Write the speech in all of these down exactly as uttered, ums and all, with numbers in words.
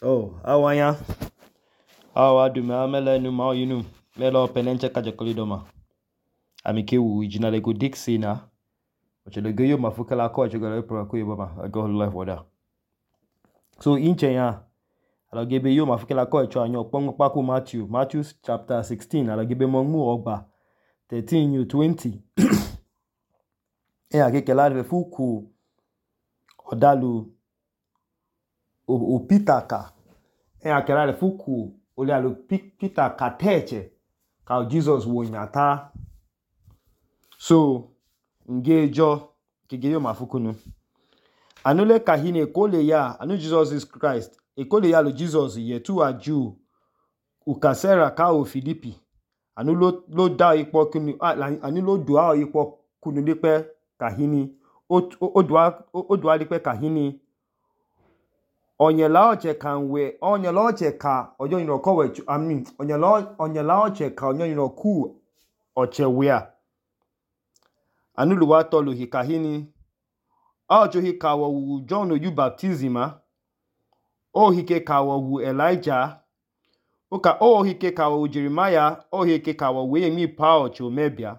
Oh, awanya. Awa du me amele nu ma yinu. Melo penenche kaje kolidoma. Amike wu ijina le go dixi na. Oche le go yo mafuka la ko chegala epra ko yobama. I go life order. So inche ya. Ala gebe yo mafuka la ko echo anyo pongo paku Matthew. Matthew chapter sixteen. Ala gebe mongu ogba. thirteen you twenty. E akeke la de fuku odalu o, o Peter ka. E akela le fuku ole alu Peter ka teche ka Jesus wo nyata. So ngejo kigeyo mafuku nu. Anule kahine ekole ya anu Jesus is Christ. Ekole ya lo Jesus ye tu aju ukasera ka o Filipi. Anu lo lo da ipo kunu anu lo dua ipo kunu dipe kahini o o dua o dua dipe kahini onyela oche kanwe onyela oche ka ojo yin okowe I mean onyela onyela oche ka onyo yin oku oche wea anu lu wa tolu hikahini ojo hikawo wu John oyu baptisma o hike kawo wu Elijah oka o hike kawo wu Jeremiah o hike kawo we mi pa oche omebia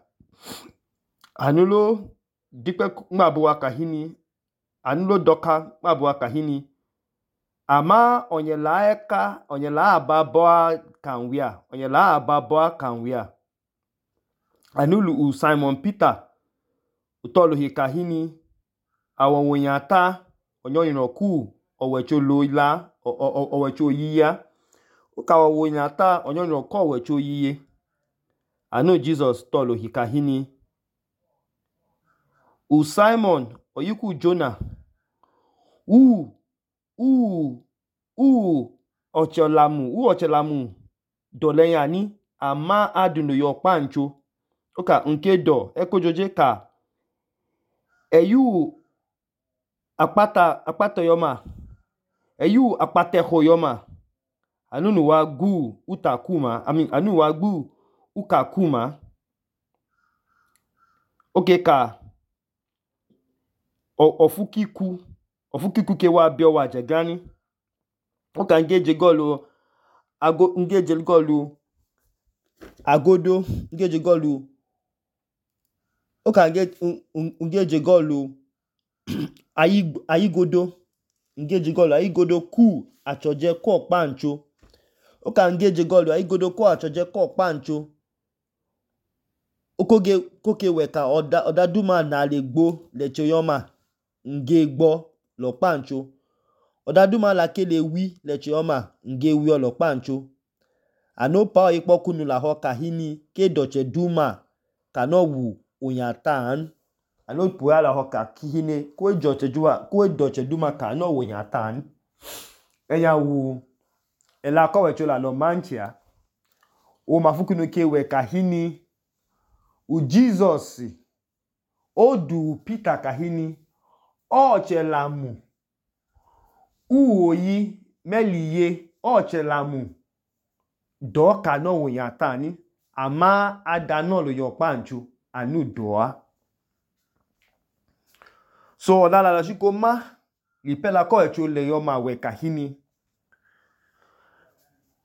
anu lo dipe mabuwa kahini anu lo doka mabuwa kahini ama onyela eka onyela ababoa kanwia onyela ababoa kanwia anulu u Simon Peter utolu hikahini awonyata onyo yinoku owecho loila owecho yiya ukawa wonyata onyo yinoku owecho yiye anu Jesus tolu hikahini u Simon oyiku Jonah u u u ochelamu u ochelamu doleyani ama adunu yo pancho oka nke do ekojoje ka eyu akpata akpata yoma eyu akpate hoyoma anunu wa gu utakuma I mean anu wa gu ukakuma oke ka ofukiku ofukiku ke wa bio wa jegani oka ngeje golu ago ngeje golu agodo ngeje golu oka nge ngeje golu ayi ayigodo ngeje golu ayigodo ku achoje ko pancho oka ngeje golu ayigodo ko achoje ko pancho okoge koke weka oda oda duma na legbo lecho yoma nge gbo lo pancho oda duma la kele wi lecho yoma nge wi lo pancho ano pa ipo kunu la ho kahini ke doche duma kano wu onyatan ano puya la ho kahini ko doche duma ko doche duma kano wu onyatan eya wu ela ko wecho la lo manchia o mafukunu ke we kahini u Jesus o du Peter kahini o chelamu u oyi meliye o chelamu do kano wu onyatan ama adano lo yo pancho anu doa so la la la shiko ma lipela ko echo le yo ma we kahini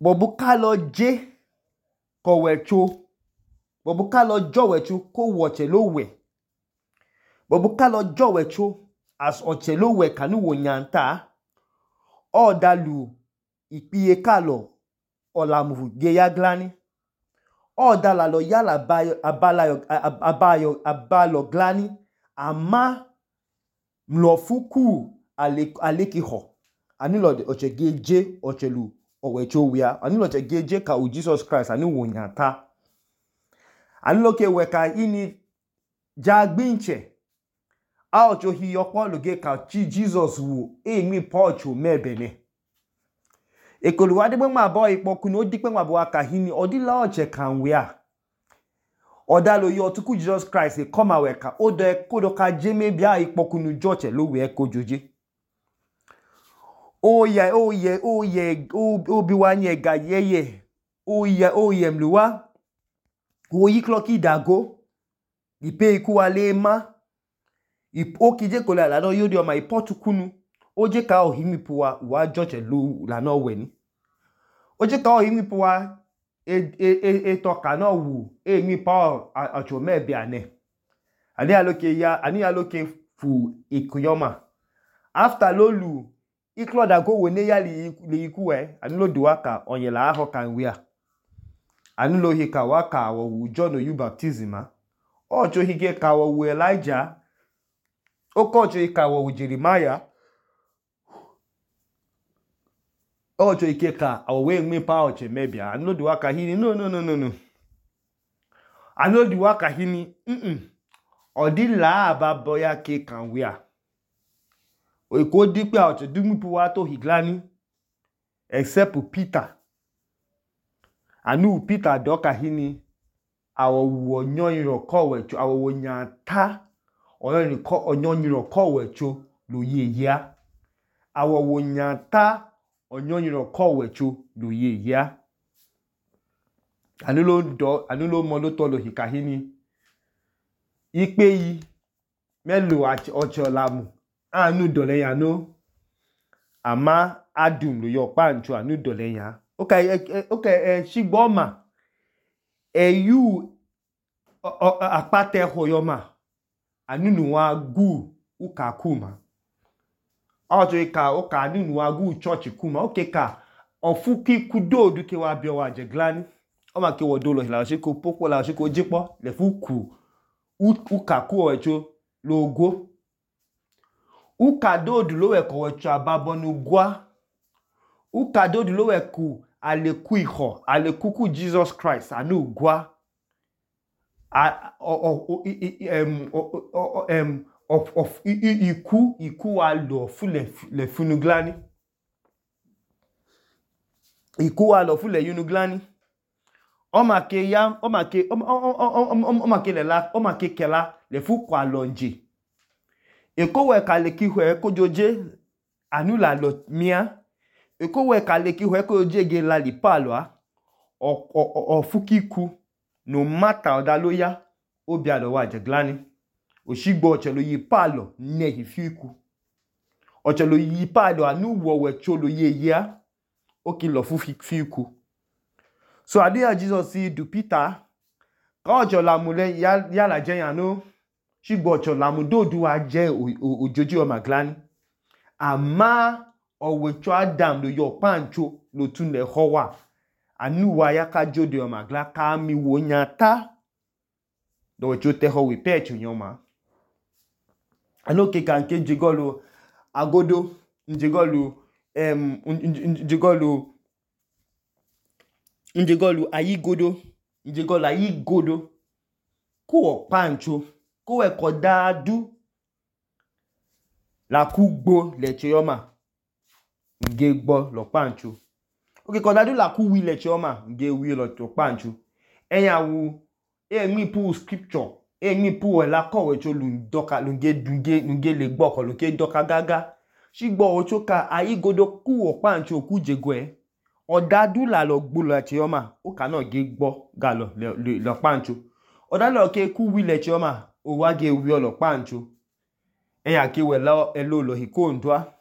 bobu ka lo je ko wecho bobu ka lo jo wecho ko woche lo we bobu ka lo jo wecho as oche lo we kanu wo nyanta o dalu ipiye kalo olamu ge ya glani o dala lo yala bayo abalayo abayo abalo glani ama mlofuku ale aleki ho anilo oche geje ochelu owecho wia anilo oche geje ka u Jesus Christ anu wo nyata anilo ke weka ini jagbinche a ocho hi yopo loge ka chi Jesus wu e mi pocho mebene ekoluwa de ma bo ipo kunu odipe ma bo akahini odila oche kanwia odalo yo tuku Jesus Christ e come aweka odo e kodo ka jeme bia ipo kunu joche lo we ekojoje oye oye oye obi wanye ga yeye oye oye mluwa oyi kloki dago ipe iku wale ma ipo kije kola la do yodi o ma ipo tukunu oje ka ohimi puwa wa joche lu la no we ni oje ka ohimi puwa e e e to ka no wu e mi pa acho me bi ane ani aloke ya ani aloke fu ikuyoma after lolu ikloda go we ne ya li iku e ani lo duwa ka onye la ho kan wi a ani lo hi ka wa ka wo John oyu baptism a ocho hige ka wo Elijah okocho hi ka wo Jeremiah ocho ike ka owe mi pa oche mebia ani lo duwa ka hini no no no no no ani lo duwa ka hini mm odi la ababo ya ke kan wi a o ko di pe ocho dumi pu wa to higlani except Peter anu Peter do ka hini awo wo onyon ro ko we cho awo wo nya ta oyon ni ko onyon ro ko we cho lo ye ya awo wo nya ta onyon ro ko we cho lo ye ya anu lo do anu lo mo lo to lo hika hini ipe yi melo ocho lamu anu dole ya no ama adum lo yo pancho anu dole ya okay okay shigbo ma eyu apate hoyoma anu nu wa gu uka kuma ojo ika oka anu nu wa gu church kuma okay ka ofuki kudo duke wa bi o wa je glani o ma ke wo do lo la se ko popo la se ko jipo le fuku uka ku o echo logo uka dodu lo we ko echo ababo nu gwa uka dodu lo we ku aleku iho alekuku Jesus Christ anu gwa a o em em of of iku iku wa lo fule le funuglani iku wa lo fule yunuglani o ma ke ya o ma ke o ma ke le la o ma ke kela le fu kwa lonje eko we ka le ki hwe ko joje anu la lo mia eko we ka le ki hwe ko joje ge la li palo a o o fukiku no matter oda lo ya obi alo wa je glani oshigbo ochelo yi palo ne hifiku ochelo yi palo anu wo we cholo ye ya o ki lo fu fiku so adia Jesus si du Peter ka ocho la mu le ya ya la je yan no shigbo ocho la mu do du wa je ojoji o maglani ama owe cho Adam lo yo pancho lo tun le howa anu wa ya ka jode o magla ka mi wo nyata do cho te ho wi pecho nyoma anoke kan ke jigolo agodo njigolo em njigolo njigolo ayigodo njigolo ayigodo ko pancho ko e ko dadu la kugbo le chioma nge gbo lo pancho oke ko dadu la ku wi le chioma nge wi lo to pancho eyawu e mi pu scripture e mi pu la ko we cho lu doka lu nge dunge nge le gbo ko lu ke doka gaga shigbo ocho ka ayigodo ku o pancho ku jegwe odadu la lo gbo le chioma o ka no ge gbo ga lo lo pancho odalo ke ku wi le chioma o wa ge wi lo pancho eya ke we la elo lo hikondwa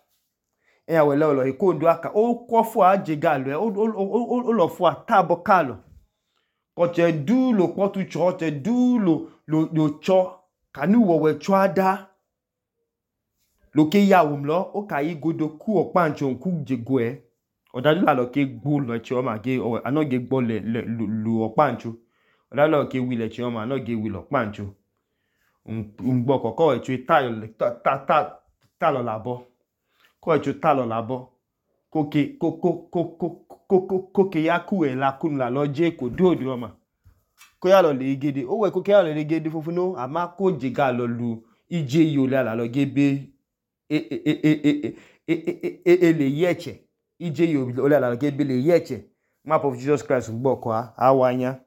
eya we la lo hikondwa ka o ko fu aje ga lo o lo fu atabo ka lo ko che du lo potu cho che du lo lo lo cho kanu wo we cho ada lo ke ya wum lo o ka yi godo ku o pancho ku jegwe odadu la lo ke gbo lo chioma ge o ano ge gbo le lu o pancho odadu la ke wi le chioma ano ge wi lo pancho ngbo koko echu tayo ta ta ta lo labo ko echu ta lo labo ko ke ko ko ko ko ko ke ya ku e la kun la lo je ko do do ma ko ya lo le gede o we ko ke ya lo le gede fofunu ama ko jiga lo lu ije yo la lo gebe e e e e e le yeche ije yo la lo gebe le yeche map of Jesus Christ ngbo ko a awanya